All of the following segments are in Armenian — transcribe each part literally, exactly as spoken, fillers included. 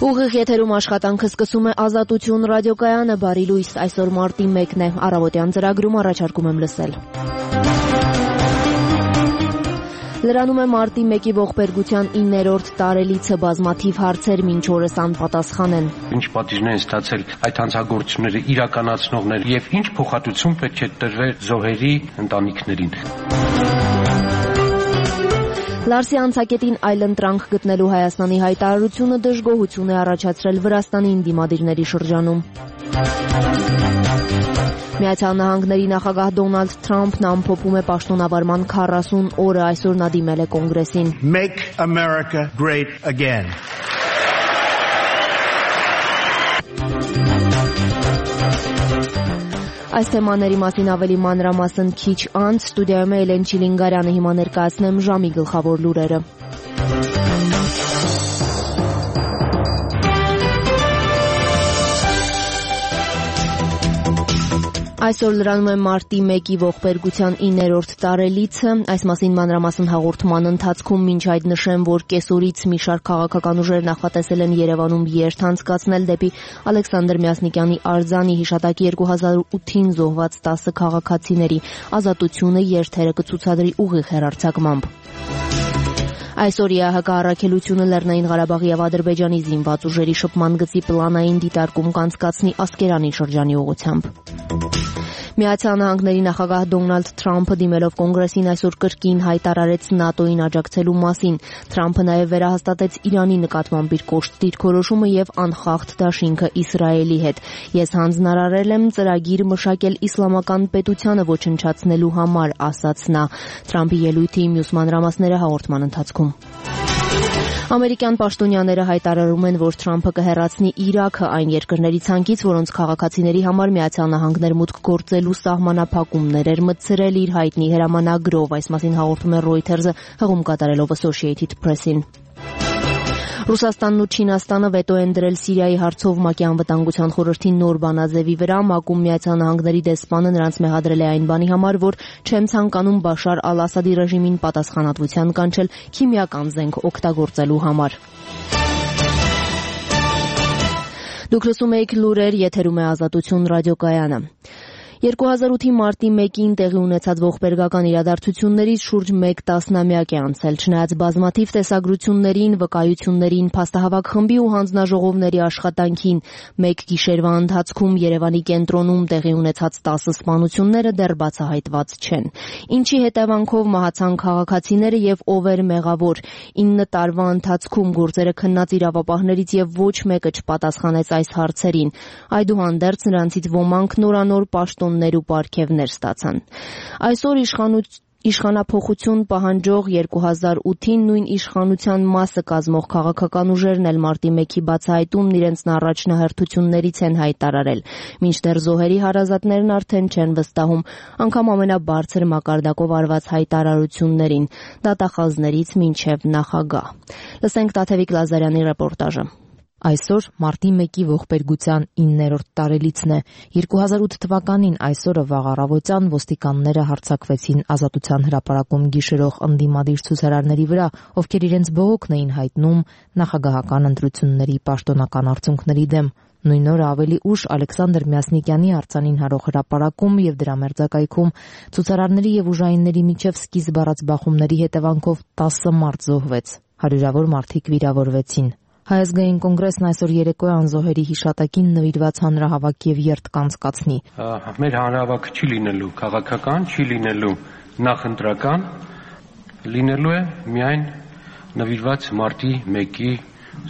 Ուղիղ եթերում աշխատանքը սկսում է Ազատություն ռադիոկայանը, բարի լույս, այսօր մարտի մեկն է, առավոտյան ծրագրում առաջարկում եմ լսել։ Լրանում է մարտի մեկի ողբերգության իններորդ տարելիցը, բազմաթիվ հարցեր մինչ օրս անպատասխան են։ Ինչ պատիժներ են ստացել այդ հանցագործությունները իրականացնողները եւ ինչ փոխհատուցում պետք է տրվեր զոհերի ընտանիքներին։ Լարսի անցակետին այլընտրանք գտնելու Հայաստանի հայտարարությունը դժգոհություն է առաջացրել Վրաստանի դիմադիրների շրջանում։ Միացյալ Նահանգների նախագահ Դոնալդ Թրամփն ամփոփում է պաշտոնավարման քառասուն օրը, այսօր նա դիմել է կոնգրեսին։ Make America great again. Այս թեմաների մասին ավելի մանրամասն քիչ անց ստուդիայում է Էլեն Չիլինգարյանը, հիմա ներկայացնեմ ժամի գլխավոր լուրերը։ Այսօր լրանում է մարտի մեկի ողբերգության իններորդ տարելիցը, այս մասին մանրամասն հաղորդման ընթացքում մինչ այդ նշեմ, որ կեսօրից մի շարք քաղաքական ուժեր նախատեսել են Երևանում երթ անցկացնել դեպի Ալեքսանդր Մյասնիկյանի արձանի հիշատակի երկու հազար ութին զոհված տասը քաղաքացիների ազատությունը երթերը կցուցադրի ուղիղ հեռարձակմամբ։ Այսօր ԵԱՀԿ առաքելությունը Լեռնային Ղարաբաղի եւ Ադրբեջանի զինված ուժերի շփման գծի պլանային դիտարկում կանցկացնի Ասկերանի շրջանի ուղղությամբ։ Միացյալ Նահանգների նախագահ Դոնալդ Թրամփը դիմելով կոնգրեսին այսօր կրկին հայտարարեց ՆԱՏՕ-ին աջակցելու մասին։ Թրամփը նաև վերահաստատեց Իրանի նկատմամբ իր կոշտ դիրքորոշումը եւ անխախտ դաշինքը Իսրայելի հետ։ Ես հանձնարարել եմ ծրագիր մշակել իսլամական պետությանը ոչնչացնելու համար, ասաց նա։ Թրամփի ելույթի մյուս մանրամասները հաղորդման ընթացքում։ Ամերիկյան պաշտոնյաները հայտարարում են, որ Թրամփը կհեռացնի Իրաքը այն երկրների ցանկից, որոնց քաղաքացիների համար Միացյալ Նահանգներ մուտք գործելու սահմանափակումներ էր մտցրել իր հայտնի հրամանագրով, այս մասին հաղորդում է Reuters-ը հղում կատարելով Associated Press-ին։ Ռուսաստանն ու Չինաստանը վետո են դրել Սիրիայի հարցով ՄԱԿ-ի անվտանգության խորհրդի նոր բանաձևի վրա, ՄԱԿ-ում Միացյալ Նահանգների դեսպանը նրանց մեղադրել է այն բանի համար, որ չեն ցանկանում Բաշար ալ-Ասադի ռեժիմին պատասխանատվության կանչել քիմիական զենք օգտագործելու համար։ Դուք լսում եք լուրեր, եթերում է Ազատություն ռադիոկայանը։ երկու հազար ութի մարտի մեկին տեղի ունեցած ողբերգական իրադարձություններից շուրջ մեկ տասնամյակ է անցել, չնայած բազմաթիվ տեսագրություններին, վկայություններին, փաստահավաք խմբի ու հանձնաժողովների աշխատանքին, մեկ գիշերվա ընթացքում Երևանի կենտրոնում տեղի ունեցած տասը սպանությունները դեռ բացահայտված չեն։ Ինչի հետևանքով մահացան քաղաքացիները եւ ով էր մեղավոր։ ինը տարվա ընթացքում գործերը քննած իրավապահներից եւ ոչ մեկը չպատասխանեց այս հարցերին։ Այդուհանդերձ նրանցից ոմանք նորանոր պաշտոն ու պարգևներ ստացան։ Այսօր իշխանություն Իշխանափոխություն պահանջող երկու հազար ութին նույն իշխանության մասը կազմող քաղաքական ուժերն էլ մարտի մեկի բացահայտումն իրենց առաջնահերթություններից են հայտարարել։ Մինչդեռ զոհերի հարազատներն արդեն չեն վստահում անգամ ամենաբարձր մակարդակով արված հայտարարություններին, դատախազներից մինչև նախագահ։ Լսենք Տաթևիկ Լազարյանի ռեպորտաժը։ Այսօր մարտի մեկի ողբերգության իններորդ տարելիցն է։ երկու հազար ութ թվականին այսօրը վաղ առավոտյան ոստիկանները հարձակվեցին Ազատության հրապարակում գիշերող ընդդիմադիր ցուցարարների վրա, ովքեր իրենց բողոքն էին հայտնում նախագահական ընտրությունների պաշտոնական արդյունքների դեմ։ Նույն օրը ավելի ուշ Ալեքսանդր Մյասնիկյանի արձանին հարող հրապարակում եւ դրա մերձակայքում ցուցարարների եւ ուժայինների միջև սկիզբ առած բախումների հետևանքով տասը մարդ զոհվեց, հարյուրավոր մարդիկ վիրավորվեցին։ Հայազգային կոնգրեսն այսօր երեկոյան զոհերի հիշատակին նվիրված հանրահավաք եւ երթ կանցկացնի։ Մեր հանրահավաքը չի լինելու քաղաքական, չի լինելու նախընտրական, լինելու է միայն նվիրված մարտի մեկի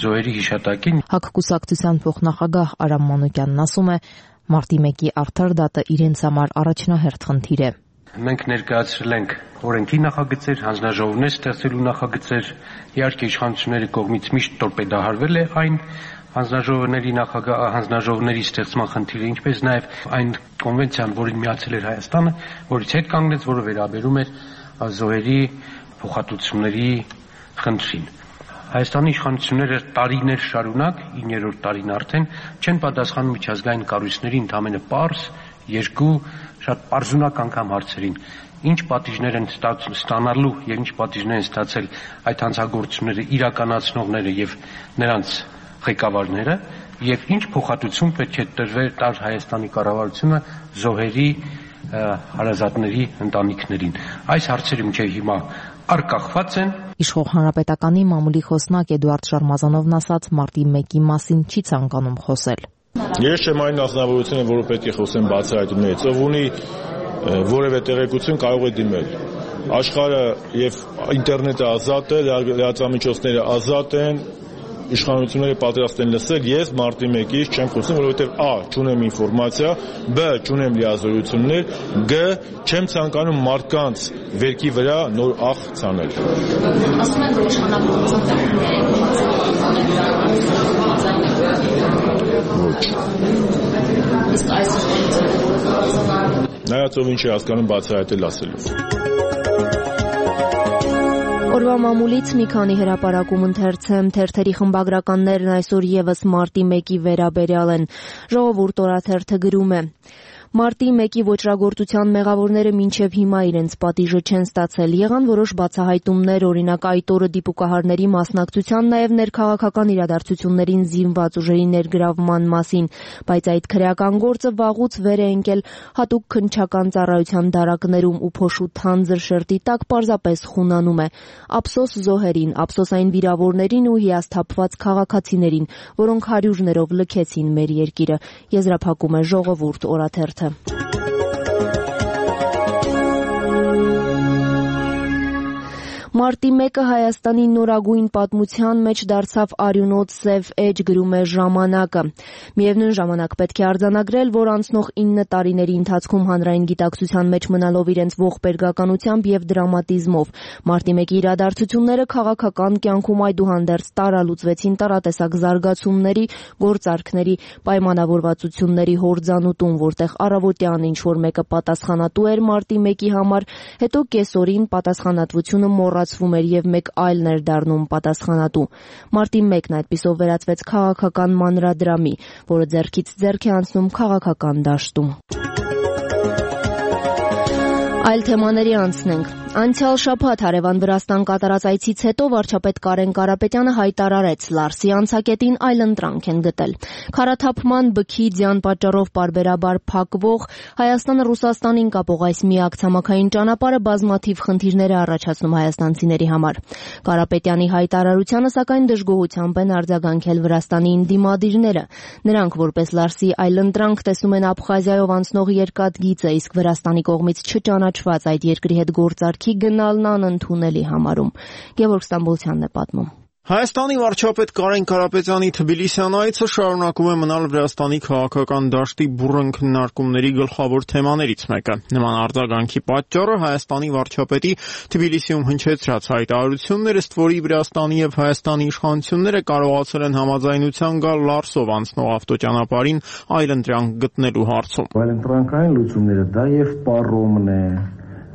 զոհերի հիշատակին։ ՀԱԿ կուսակցության փոխնախագահ Արամ Մանուկյանն ասում է, մարտի մեկի արդար դատը իրենց համար առաջնահերթ խնդիր է։ Մենք ներկայացրել ենք օրենքի նախագծեր, հանձնաժողովներ ստեղծելու նախագծեր, իհարկե իշխանությունների կողմից միշտ տորպեդահարվել է այն հանձնաժողովների նախագահ հանձնաժողովների ստեղծման խնդիրը, ինչպես նաև այն կոնվենցիան, որին միացել էր Հայաստանը, որից հետ կանգնեց, որը վերաբերում էր զոհերի փոխհատուցումների խնդրին։ Հայաստանի իշխանությունները տարիներ շարունակ, իններորդ տարին արդեն, չեն պատասխանում միջազգային կառույցների ընդամենը պարզ երկու շատ պարզունակ անգամ հարցերին։ Ինչ պատիժներ են ստանալու եւ ինչ պատիժներ են ստացել այդ հանցագործությունները իրականացնողները եւ նրանց ղեկավարները եւ ինչ փոխհատուցում պետք է տրվեր տար Հայաստանի կառավարությունը զոհերի հարազատների ընտանիքներին։ Այս հարցերը մինչեւ հիմա արկախված են։ Իշխող հանրապետականի մամուլի խոսնակ Էդուարդ Շարմազանովն ասաց մարտի մեկի մասին չի ցանկանում խոսել։ Ես չեմ այն նախնավորությունը, որը պետք է խոսեմ բացահայտումներից, ով ունի որևէ տեղեկություն կարող է դիմել։ Աշխարհը եւ ինտերնետը ազատ է, լրատվամիջոցները ազատ են, իշխանությունները պատրաստ են լսել, ես մարտի մեկից չեմ խոսում, որովհետև ա. չունեմ ինֆորմացիա, բ. չունեմ լիազորություններ, գ. չեմ ցանկանում մարդկանց վերքի վրա նոր աղ ցանել։ Ասում են, որ Ոչ։ Իսկ այս Նայած ով ինչ է հասկանում բացահայտել ասելով։ Օրվա մամուլից մի քանի հրապարակում ընթերցեմ, թերթերի խմբագրականներն այսօր եւս մարտի մեկի վերաբերյալ են։ Ժողովուրդ օրաթերթը գրում է. Մարտի մեկի ոճրագործության մեղավորները մինչև հիմա իրենց պատիժը չեն ստացել։ Եղան որոշ բացահայտումներ, օրինակ այդ օրը դիպուկահարների մասնակցության, նաև ներքաղաքական իրադարձություններին զինված ուժերի ներգրավման մասին, բայց այդ քրեական գործը վաղուց վեր է ընկել հատուկ քննչական ծառայության դարակներում ու փոշու թանձր շերտի տակ պարզապես խունանում է։ Ափսոս զոհերին, ափսոս այն վիրավորներին ու հիասթափված քաղաքացիներին, որոնք հարյուրներով լքեցին մեր երկիրը։ Եզրափակում է Ժողովուրդ օրաթերթը։ Մարտի մեկը Հայաստանի նորագույն պատմության մեջ դարձավ արյունոտ սև էջ, գրում է Ժամանակը։ Միևնույն ժամանակ պետք է արձանագրել, որ անցնող ինը տարիների ընթացքում հանրային գիտակցության մեջ մնալով իրենց ողբերգականությամբ եւ դրամատիզմով մարտի մեկի իրադարձությունները քաղաքական կյանքում այդուհանդերձ տարալուծվեցին տարատեսակ զարգացումների, գործարքների, պայմանավորվածությունների հորձանուտում, որտեղ առավոտյան ինչ որ մեկը պատասխանատու էր մարտի մեկի համար, հետո կեսօրին պատասխանատվությունը մոռացվում էր եւ մեկ այլն էր դառնում պատասխանատու։ Մարտի մեկն այդպիսով վերածվեց քաղաքական մանրադրամի, որը ձեռքից ձեռք է անցնում քաղաքական դաշտում։ Այլ թեմաների անցնենք։ Անցյալ շաբաթ հարևան Վրաստան կատարած այցից հետո վարչապետ Կարեն Կարապետյանը հայտարարեց՝ Լարսի անցակետին այլընտրանք են գտել։ Քարաթափման, բքի, ձյան պատճառով պարբերաբար փակվող Հայաստանը Ռուսաստանին կապող այս միակ ցամաքային ճանապարհը բազմաթիվ խնդիրներ է առաջացնում հայաստանցիների համար։ Կարապետյանի հայտարարությանը սակայն դժգոհությամբ են արձագանքել Վրաստանի դիմադիրները։ Նրանք որպես Լարսի այլընտրանք տեսնում են Աբխազիայով անցնող երկաթգիծը, իսկ Վրաստանի կողմից չճանաչված այդ երկրի հետ գործարք գնալն անընդունելի համարում։ Գևորգ Ստամբոլցյանն է պատմում։ Հայաստանի վարչապետ Կարեն Կարապետյանի Թբիլիսյան այցը շարունակում է մնալ Վրաստանի քաղաքական դաշտի բուռն քննարկումների գլխավոր թեմաներից մեկը։ Նման արձագանքի պատճառը Հայաստանի վարչապետի Թբիլիսիում հնչեցրած հայտարարությունն էր, ըստ որի Վրաստանի եւ Հայաստանի իշխանությունները կարողացել են համաձայնության գալ Լարսով անցնող ավտոճանապարհին այլընտրանք գտնելու հարցում։ Այլընտրանքային լուծումները դա եւ պարոմն է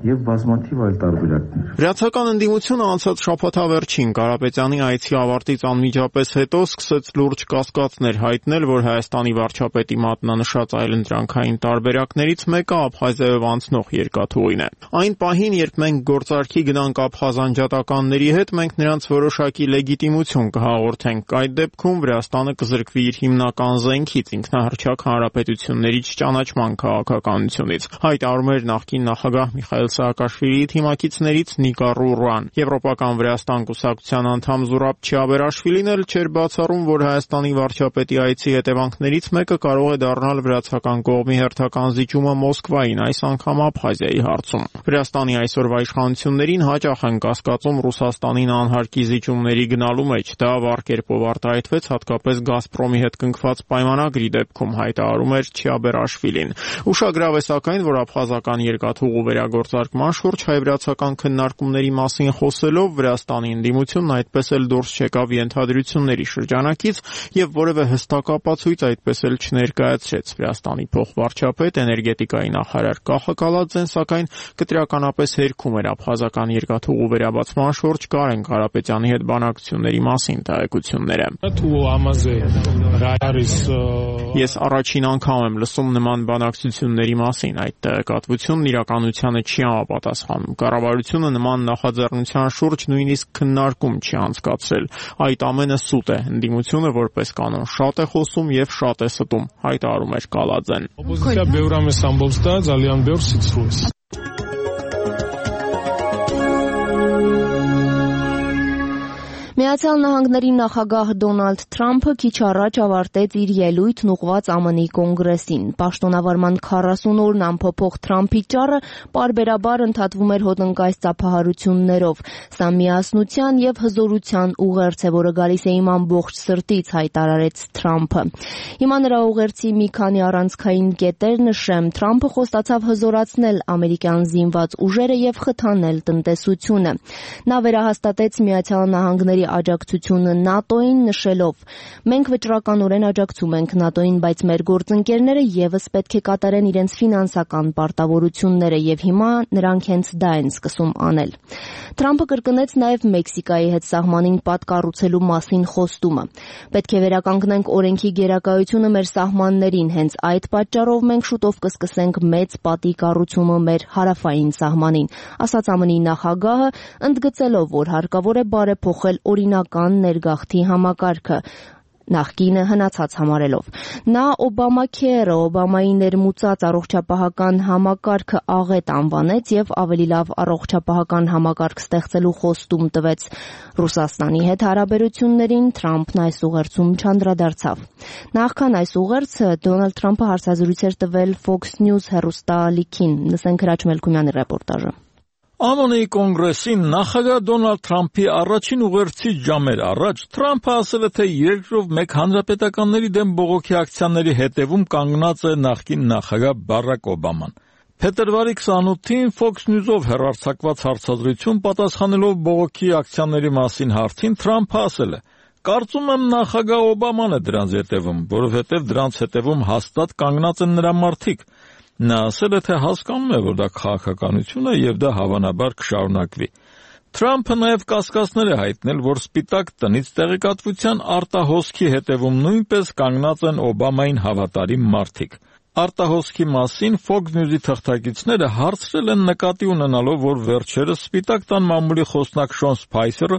եւ բազմաթիվ այլ տարբերակներ։ Վրացական ընդդիմությունը անցած շաբաթավերջին Կարապետյանի այցի ավարտից անմիջապես հետո սկսեց լուրջ կասկածներ հայտնել, որ Հայաստանի վարչապետի մատնանշած այլընտրանքային տարբերակներից մեկը Աբխազիայով անցնող երկաթուղին է։ Այն պահին, երբ մենք գործարքի գնանք աբխազ անջատականների հետ, մենք նրանց որոշակի լեգիտիմություն կհաղորդենք։ Այդ դեպքում Վրաստանը կզրկվի իր հիմնական զենքից, ինքնահռչակ հանրապետություններից ճանաչման քաղաքականությունից։ Հայտարարում էր նախկին նախագահ Միխայել Սաակաշվիլիի թիմակիցներից Նիկա Ռուրան։ Եվրոպական Վրաստան կուսակցության անդամ Զուրաբ Չիաբերաշվիլին էլ չէր բացառում, որ Հայաստանի վարչապետի այցի հետևանքներից մեկը կարող է դառնալ վրացական կողմի հերթական զիջումը Մոսկվային, այս անգամ Աբխազիայի հարցում։ Վրաստանի այսօրվա իշխանություններին հաճախ են կասկածում Ռուսաստանին անհարկի զիջումների գնալու մեջ։ Դա վառ կերպով արտահայտվեց հատկապես Գազպրոմի հետ կնքված պայմանագրի դեպքում, հայտարարում էր Չիաբերաշվիլին։ Ուշագրավ է սակայն, որ աբխազական երկաթուղու վերագործարկման շուրջ հայ-վրացական քննարկումների մասին խոսելով Վրաստանի ընդդիմությունն այդպես էլ դուրս չեկավ ենթադրությունների շրջանակից եւ որևէ հստակ ապացույց այդպես էլ չներկայացրեց։ Վրաստանի փոխվարչապետ, էներգետիկայի նախարար Կախը Կալաձեն սակայն կտրականապես հերքում էր աբխազական երկաթուղու վերաբացման շուրջ Կարեն Կարապետյանի հետ բանակցությունների մասին տեղեկությունները։ Ես առաջին անգամ եմ լսում նման բանակցությունների մասին, այդ տեղեկատվությունն իրականությանը չի համապատասխանում։ Կառավարությունը նման նախաձեռնության շուրջ նույնիսկ քննարկում չի անցկացրել։ Այդ ամենը սուտ է։ Ընդդիմությունը որպես կանոն շատ է խոսում եւ շատ է ստում, հայտարարում էր Կալաձեն։ Օպոզիցիա ბევր ամես ամբողջ դա ძალიან ბევր սիցրուս։ Միացյալ Նահանգների նախագահ Դոնալդ Թրամփը քիչ առաջ ավարտեց իր ելույթն ուղղված ԱՄՆ-ի կոնգրեսին։ Պաշտոնավարման քառասուն օրն ամփոփող Թրամփի ճառը պարբերաբար ընդհատվում էր հոտնկայս ծափահարություններով։ Սա միասնության եւ հզորության ուղերձ է, որը գալիս է իմ ամբողջ սրտից, հայտարարեց Թրամփը։ Հիմա նրա ուղերձի մի քանի առանցքային կետեր նշեմ։ Թրամփը խոստացավ հզորացնել ամերիկյան զինված ուժերը եւ խթանել տնտեսությունը։ Նա վերահաստատեց Միացյալ Նահանգների աջակցությունը ՆԱՏՕ-ին, նշելով. «Մենք վճռականորեն աջակցում ենք ՆԱՏՕ-ին, բայց մեր գործընկերները եւս պետք է կատարեն իրենց ֆինանսական պարտավորությունները եւ հիմա նրանք հենց դա են սկսում անել»։ Թրամփը կրկնեց նաեւ Մեքսիկայի հետ սահմանին պատկառուցելու մասին խոստումը։ «Պետք է վերականգնենք օրենքի գերակայությունը մեր սահմաններին, հենց այդ պատճառով մենք շուտով կսկսենք մեծ պատի կառուցումը մեր հարավային սահմանին», ասաց ԱՄՆ-ի նախագահը, ընդգծելով, որ հարկավոր է բարեփոխել օրինական ներգաղթի համակարգը, նախկինը հնացած համարելով։ Նա Օբամաքերը, Օբամայի ներմուծած առողջապահական համակարգը աղետ անվանեց եւ ավելի լավ առողջապահական համակարգ ստեղծելու խոստում տվեց։ Ռուսաստանի հետ հարաբերություններին Թրամփն այս ուղերձում չանդրադարձավ։ Նախքան այս ուղերձը Դոնալդ Թրամփը հարցազրույց էր տվել Fox News հեռուստաալիքին։ Լսենք Հրաչ Մելքումյանի ռեպորտաժը։ ԱՄՆ-ի կոնգրեսին նախագահ Դոնալդ Թրամփի առաջին ուղերձից ժամեր առաջ Թրամփը ասել է, թե երկրով մեկ հանրապետականների դեմ բողոքի ակցիաների հետևում կանգնած է նախկին նախագահ Բարակ Օբաման։ Փետրվարի քսանութին Fox News-ով հեռարձակված հարցազրույցում պատասխանելով բողոքի ակցիաների մասին հարցին Թրամփը ասել է. «Կարծում եմ նախագահ Օբաման է դրանց հետևում, որովհետև դրանց հետևում հաստատ կանգնած են նրա մարդիկ»։ Նա ասել է, թե հասկանում է, որ դա քաղաքականություն է եւ դա հավանաբար կշարունակվի։ Թրամփը նաեւ կասկածներ է հայտնել, որ Սպիտակ տնից տեղեկատվության արտահոսքի հետևում նույնպես կանգնած են Օբամային հավատարիմ մարդիկ։ Արտահոսքի մասին Fox News-ի թղթակիցները հարցրել են նկատի ունենալով, որ վերջերս Սպիտակ տան մամուլի խոսնակ Շոն Սփայսերը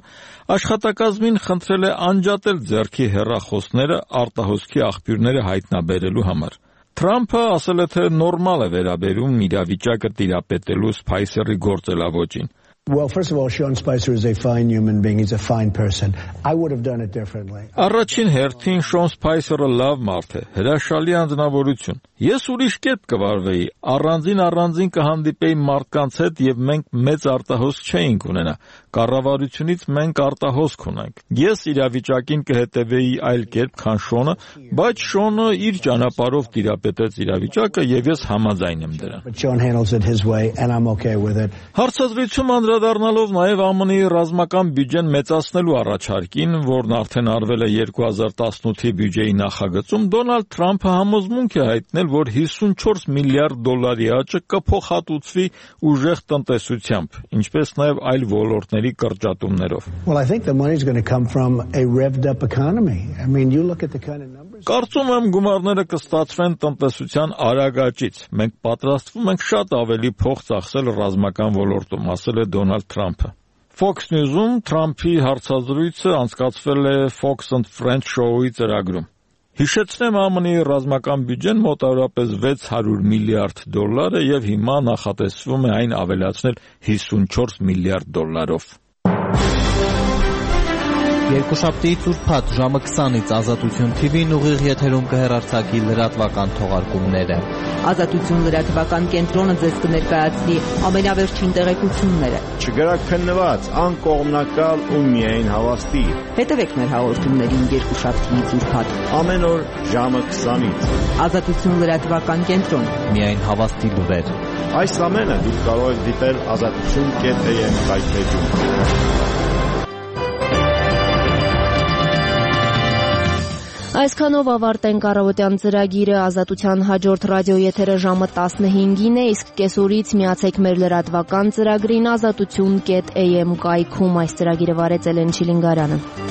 աշխատակազմին խնդրել է անջատել ձեռքի հեռախոսները արտահոսքի աղբյուրները հայտնաբերելու համար։ Թրամփը ասել է, թե նորմալ է վերաբերում իրավիճակը տիրապետելու Սփայսերի գործելավոճին։ Well, first of all, Sean Spicer is a fine human being. He's a fine person. I would have done it differently. Առաջին հերթին Շոն Սփայսերը լավ մարդ է, հրաշալի անձնավորություն։ Ես ուրիշ կերպ կվարվեի, առանձին առանձին կհանդիպեի մարդկանց հետ եւ մենք մեծ արտահոսք չէինք ունենա։ Կառավարությունից մենք արտահոսք ունենք։ Ես իրավիճակին կհետևեի այլ կերպ, քան Շոնը, բայց Շոնը իր ճանապարհով տիրապետեց իրավիճակը եւ ես համաձայն եմ դրան։ But Sean handles it his way and I'm okay with it. Հարցազրույցում անդրադառնալով նաեւ ԱՄՆ-ի ռազմական բյուջեն մեծացնելու առաջարկին, որն արդեն արվել է երկու հազար տասնութի բյուջեի նախագծում, Դոնալդ Թրամփը համոզմունք է հայտնել, որ հիսունչորս միլիարդ դոլարի աճը կփոխհատուցվի ուժեղ տնտեսությամբ, ինչպես նաեւ այլ ոլորտների կրճատումներով։ Well, I think the money's going to come from a revved up economy. I mean, you look at the kind of numbers. Կարծում եմ գումարները կստացվեն տնտեսության արագ աճից։ Մենք պատրաստվում ենք շատ ավելի փող ծախսել ռազմական ոլորտում, ասել է Դոնալդ Թրամփը։ Fox News-ում Թրամփի հարցազրույցը անցկացվել է Fox and Friends շոուի ծրագրում։ Հիշեցնեմ, ԱՄՆ-ի ռազմական բյուջեն մոտավորապես վեց հարյուր միլիարդ դոլար է եւ հիմա նախատեսվում է այն ավելացնել հիսունչորս միլիարդ դոլարով։ Երկուշաբթի ծուրփաթ ժամը քսանից Ազատություն թի վին ուղիղ եթերում կհեռարձակի լրատվական թողարկումները։ Ազատություն լրատվական կենտրոնը ձեզ կներկայացնի ամենավերջին տեղեկությունները։ Չգրաքննված, անկողմնակալ ու միայն հավաստի։ Հետևեք մեր հաղորդումներին երկուշաբթի ծուրփաթ ամեն օր ժամը քսանից։ Ազատություն լրատվական կենտրոն։ Միայն հավաստի լուրեր։ Այս ամենը դուք կարող եք դիտել ազատություն կետ է եմ վայթեջում։ Այսքանով ավարտենք առավոտյան ծրագիրը։ Ազատության հաջորդ ռադիոեթերը ժամը տասնհինգին է, իսկ կեսօրից միացեք մեր լրատվական ծրագրին ազատություն կետ էյ էմ կայքում։ Այս ծրագիրը վարեց Էլեն Չիլինգարյանը։